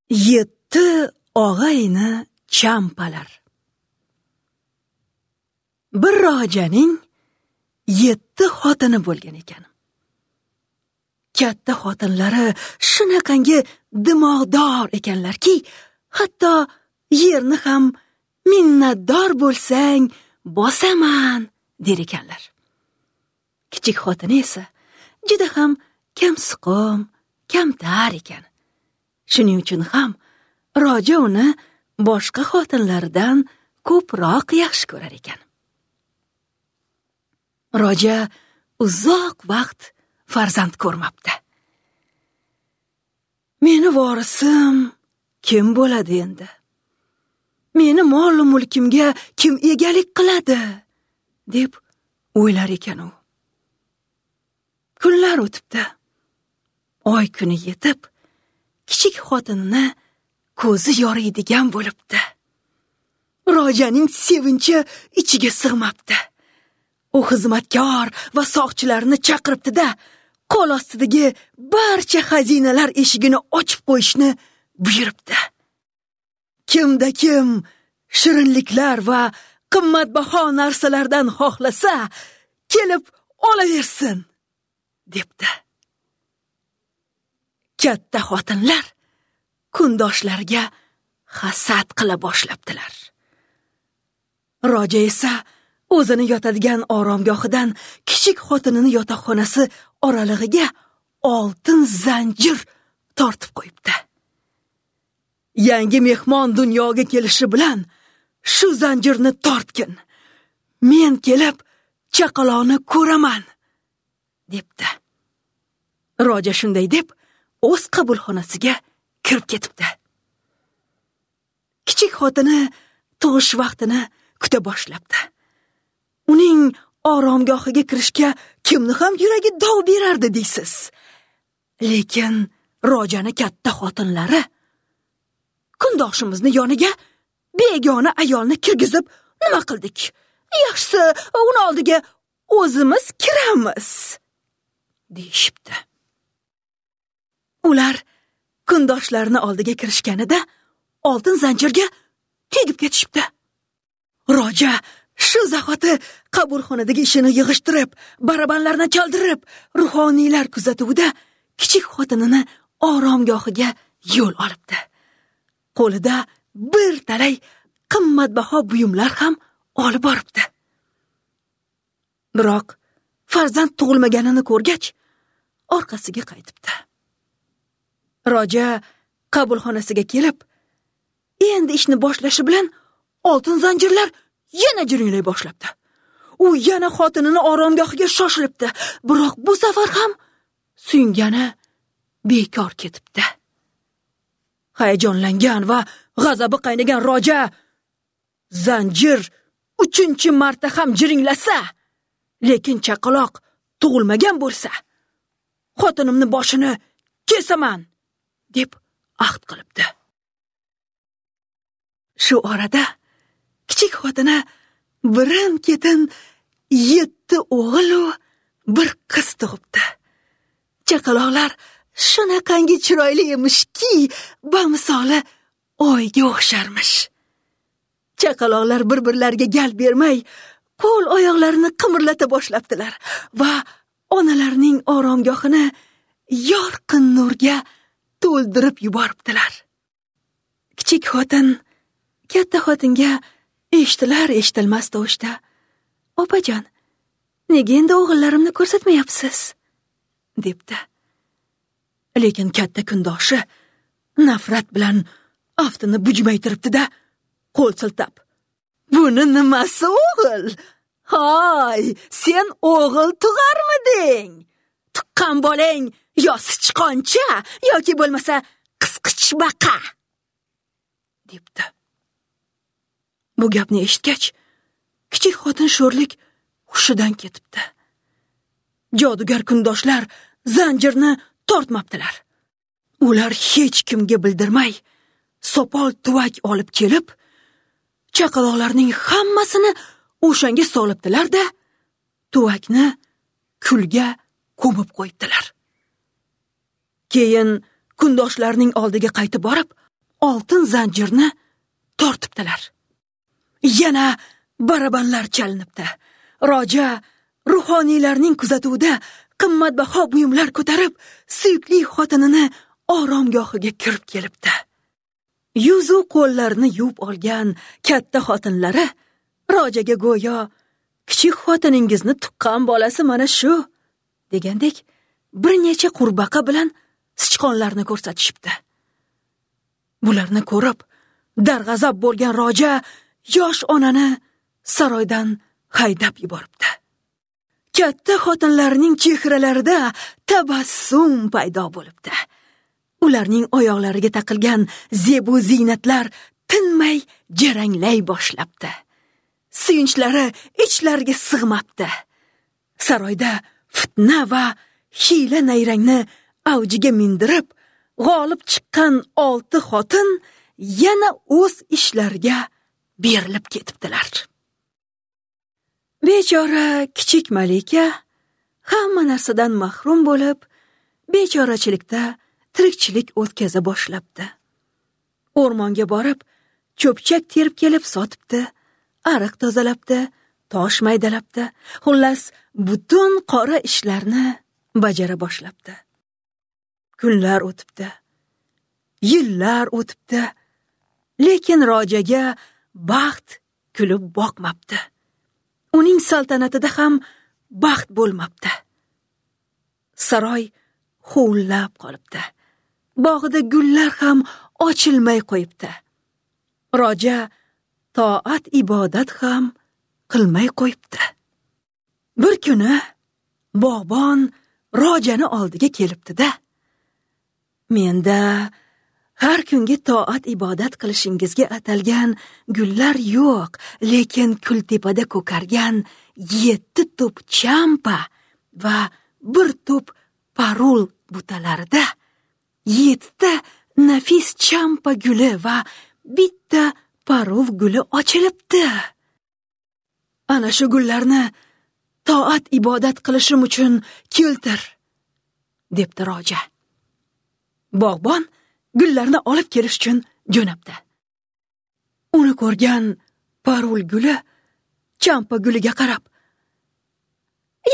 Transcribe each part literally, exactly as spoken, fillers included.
Yetti og'ayni champalar. Bir rojaning yetti xotini bo'lgan ekan. Katta xotinlari shunaqangi dimog'dor ekanlarki, hatto yerni ham minnatdor bo'lsang bosaman der ekanlar. Kichik xotini esa juda ham kamsuqum, kamtar ekan. Shuning uchun ham roja uni boshqa xotinlardan ko'proq yaxshi ko'rar ekan. Roja uzoq vaqt farzand ko'rmabdi. Meni vorisim kim bo'ladi endi? Meni mol mulkimga kim egalik qiladi? Deb o'ylar ekan u. Kunlar o'tibdi. Oy kuni yetib, kichik xotinini ko'zi yoriydigan bo'libdi. Rojaning sevinchi ichiga sig'mabdi. U xizmatkor va soqchilarni chaqiribdi-da, qo'l ostidagi barcha xazinalar eshigini ochib qo'yishni buyuribdi. Kimda kim shirinliklar va qimmatbaho narsalardan xohlasa, kelib olaversin, debdi. Katta xotinlar kundoshlariga hasad qila boshlabdilar. Roja esa o'zini yotadigan oromgohidan kichik xotinini yotoqxonasi oralig'iga oltin zanjir tortib qo'yibdi. Yangi mehmon dunyoga kelishi bilan shu zanjirni tortgin. Men kelib chaqaloqni ko'raman, debdi. Roja shunday deb o'z qabulxonasiga kirib ketibdi. Kichik xotini tug'ish vaqtini kuta boshlabdi. Uning oromgohiga kirishga kimni ham yuragi dov berardi deysiz. Lekin rojani katta xotinlari kundoshimizni yoniga begona ayolni kirgizib nima qildik? Yaxshisi uni oldiga o'zimiz kiramiz, deyishibdi. Ular kundoshlarini oldiga kirishganida oltin zanjirga tegib ketishibdi. Roja shu zahoti qabulxonadagi ishini yig'ishtirib, barabanlarni chaldirib, ruhoniylar kuzatuvida kichik xotinini oromgohiga yo'l olibdi. Qo'lida bir talay qimmatbaho buyumlar ham olib boribdi. Biroq farzand tug'ilmaganini ko'rgach, orqasiga qaytibdi. Roja qabulxonasiga kelib, endi ishni boshlashi bilan oltin zanjirlar yana jiringlay boshlabdi. U yana xotinini oromgohiga shoshilibdi, biroq bu safar ham suyungani bekor ketibdi. Hayajonlangan va g'azabi qaynagan roja zanjir uchinchi marta ham jiringlasa, lekin chaqaloq tug'ilmagan bo'lsa, xotinimni boshini kesaman, deb ahd qilibdi. Shu orada kichik xotini birin-ketin yetti o'g'il va bir qiz tug'ibdi. Chaqaloqlar shunaqangi chiroyli emishki, bamisoli oyga o'xsharmish. Chaqaloqlar bir-birlariga gal bermay, qo'l oyoqlarini qimirlata boshlabdilar va onalarining oromgohini yorqin nurga to'ldirib yuboribdilar. Kichik xotin katta xotinga eshitilar eshitilmas tovushda, "Opajon, nega endi o'g'illarimni ko'rsatmayapsiz?" debdi. Lekin katta kundoshi nafrat bilan aftini bujmaytiribdi-da, qo'l siltab, "Buni nimasi o'g'il? Hay, sen o'g'il tug'armiding? Tuqqan bolang yo sichqoncha yoki bo'lmasa qisqichbaqa" debdi. Bu gapni eshitgach, kichik xotin sho'rlik hushidan ketibdi. Jodugar kundoshlar zanjirni tortmabdilar. Ular hech kimga bildirmay sopol tuvak olib kelib, chaqaloqlarning hammasini o'shanga solibdilar-da, tuvakni kulga ko'mib qo'yibdilar. Keyin kundoshlarning oldiga qaytib borib, oltin zanjirni tortibdilar. Yana barabanlar chalinibdi. Roja ruhoniylarning kuzatuvida qimmatbaho buyumlar ko'tarib, suyukli xotinini oromgohiga kirib kelibdi. Yuzu qo'llarini yuvib olgan katta xotinlari Rojaga go'yo kichik xotiningizni tuqqan bolasi mana shu degandek bir necha qurbaqa bilan sichqonlarni ko'rsatishibdi. Bularni ko'rib darg'azab bo'lgan Roja yosh onani saroydan haydab yuboribdi. Katta xotinlarning chehralarida tabassum paydo bo'libdi. Ularning oyoqlariga taqilgan zebu ziynatlar tinmay jaranglay boshlabdi. Suyinchlari ichlariga sig'mabdi. Saroyda fitna va hiyla nayrangni avjiga mindirib, g'olib chiqqan olti xotin yana o'z ishlariga berilib ketibdilar. Bechora kichik malika hamma narsadan mahrum bo'lib, bechorachilikda tirikchilik o'tkaza boshlabdi. O'rmonga borib, cho'pchak terib kelib sotibdi, ariq tozalabdi, tosh maydalabdi. Xullas, butun qora ishlarni bajara boshlabdi. Kunlar o'tibdi, yillar o'tibdi, lekin Rojaga baxt kulib boqmabdi. Uning saltanatida ham baxt bo'lmabdi. Saroy huvullab qolibdi. Bog'ida gullar ham ochilmay qo'yibdi. Roja toat ibodat ham qilmay qo'yibdi. Bir kuni bog'bon Rojani oldiga kelibdi-da, menda har kungi toat ibodat qilishingizga atalgan gullar yo'q, lekin kultepada ko'kargan yetti tup champa va bir tup parul butalarida yettita nafis champa guli va bitta parul guli ochilibdi. Ana shu gullarni toat ibodat qilishim uchun keltir, debdi Roja. Bog'bon gullarni olib kelish uchun jo'nabdi. Uni ko'rgan parul guli champa guliga qarab,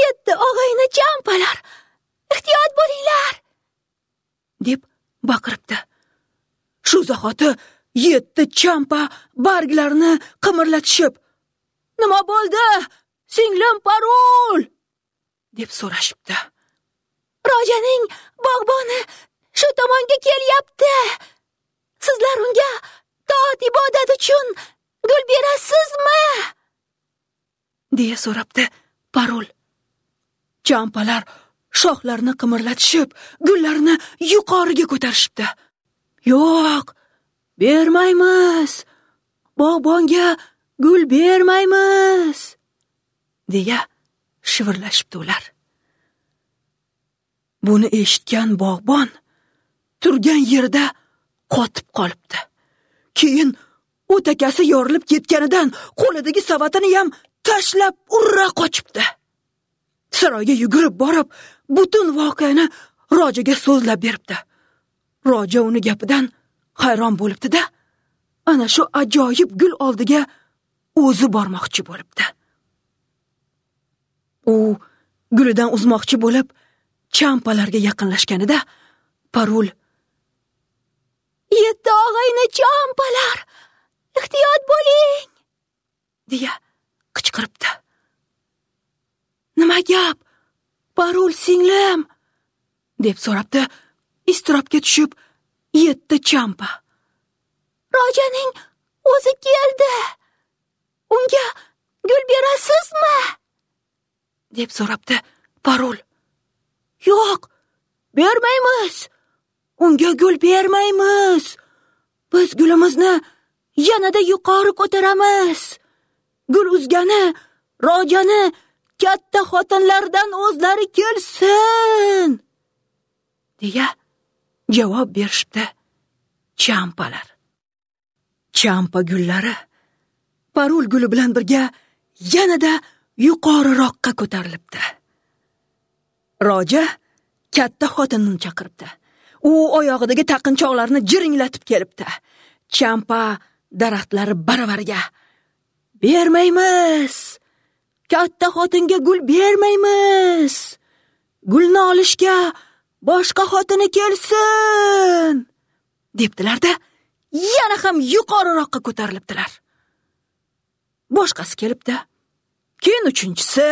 "Yetti og'ayni champalar, ehtiyot bo'linglar!" deb baqiribdi. Shu zahoti yetti champa barglarini qimirlatishib, "Nima bo'ldi, singlim parul?" deb so'rashibdi. "Rojaning bog'boni shu tomonga kelyapti. Sizlar unga toat ibodat uchun gul berasizmi?" deya so'rabdi parul. Champalar shoxlarini qimirlatishib, gullarni yuqoriga ko'tarishibdi. "Yo'q, bermaymiz. Bog'bonga gul bermaymiz", deya shivirlashibdi ular. Buni eshitgan bog'bon turgan yerda qotib qolibdi. Keyin o'takasi yorilib ketganidan qo'lidagi savatini ham tashlab urra qochibdi. Saroyga yugurib borib, butun voqeani Rojaga so'zlab beribdi. Roja uni gapidan hayron bo'libdi-da, ana shu ajoyib gul oldiga o'zi bormoqchi bo'libdi. U gulidan uzmoqchi bo'lib, champalarga yaqinlashganida parul, "Yetti og'ayni champalar, ehtiyot bo'ling!" deya qichqiribdi. "Nima gap, parul singlim?" deb so'rabdi iztirobga tushib yetti champa. "Rojaning o'zi keldi. Unga gul berasizmi?" deb so'rabdi parul. "Yo'q, bermaymiz. Unga gul bermaymiz. Biz gulimizni yanada yuqori ko'taramiz. Gul uzgani Rojani katta xotinlardan o'zlari kelsin", deya javob berishdi champalar. Champa gullari parul guli bilan birga yanada yuqoriroqqa ko'tarilibdi. Roja katta xotinini chaqiribdi. U oyog'idagi taqinchoqlarni jiringlatib kelibdi. Champa daraxtlari baravariga: "Bermaymiz! Katta xotinga gul bermaymiz! Gulni olishga boshqa xotini kelsin!" debdilar-da, yana ham yuqoriroqqa ko'tarilibdilar. Boshqasi kelibdi. Keyin uchinchisi,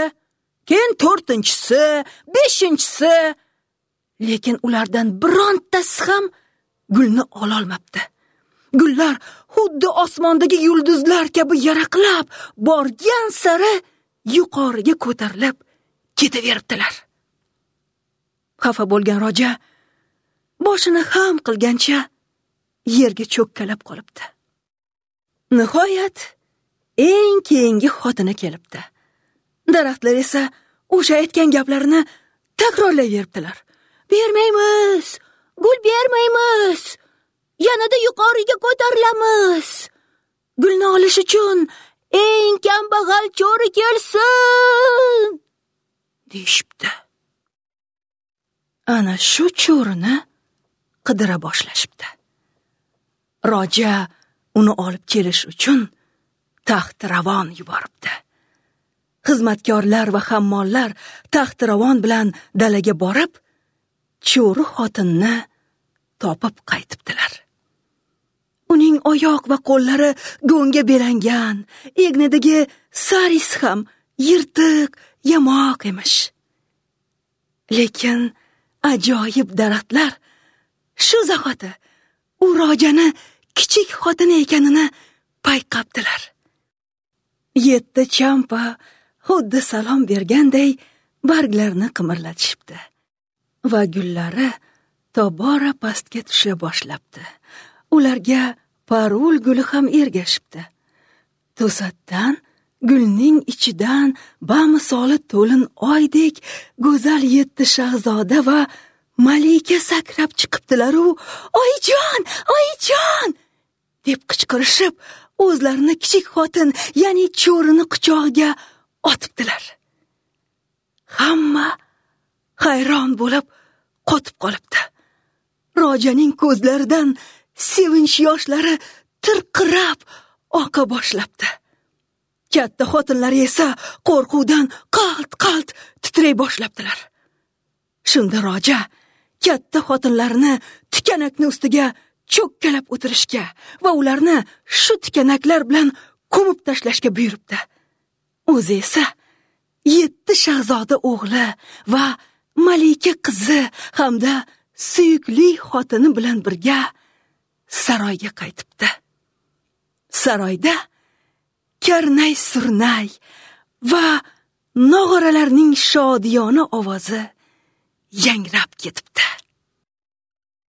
keyin to'rtinchisi, beshinchisi, lekin ulardan birontasi ham gulni ololmabdi. Gullar xuddi osmondagi yulduzlar kabi yaraqlab, borgan sari yuqoriga ko'tarilib ketaveribdilar. Xafa bo'lgan roja boshini ham qilgancha yerga cho'kkalab qolibdi. Nihoyat eng keyingi xotini kelibdi. Daraxtlar esa o'sha aytgan gaplarini takrorlayveribdilar. "Bermaymiz, gul bermaymiz, yanada yuqoriga ko'tarilamiz. Gulni olish uchun eng kambag'al cho'ri kelsin!" deyishibdi. Ana shu cho'rini qidira boshlashibdi. Roja uni olib kelish uchun taxtiravon yuboribdi. Xizmatkorlar va hammollar taxtiravon bilan dalaga borib, cho'ri xotinni topib qaytibdilar. Uning oyoq va qo'llari go'ngga belangan, egnidagi saris ham yirtiq, yamoq emish. Lekin ajoyib daraxtlar shu zahoti u rojani kichik xotini ekanini payqabdilar. Yetti champa xuddi salom berganday barglarini qimirlatishibdi va gullari tobora pastga tusha boshlabdi. Ularga parul guli ham ergashibdi. To'satdan gulning ichidan bamisoli to'lin oydek go'zal yetti shahzoda va malika sakrab chiqibdilar-u, "Oyijon, oyijon!" deb qichqirishib, o'zlarini kichik xotin, ya'ni cho'rini quchog'iga otibdilar. Hamma hayron bo'lib qotib qolibdi. Rojaning ko'zlaridan sevinch yoshlari tirqirab oqa boshlabdi. Katta xotinlari esa qo'rquvdan qalt-qalt titray boshlabdilar. Shunda roja katta xotinlarini tikanakni ustiga cho'kkalab o'tirishga va ularni shu tikanaklar bilan ko'mib tashlashga buyuribdi. O'zi esa yetti shahzoda o'g'li va malika qizi hamda suyukli xotini bilan birga saroyga qaytibdi. Saroyda karnay surnay va nog'oralarning shodiyona ovozi yangrab ketibdi.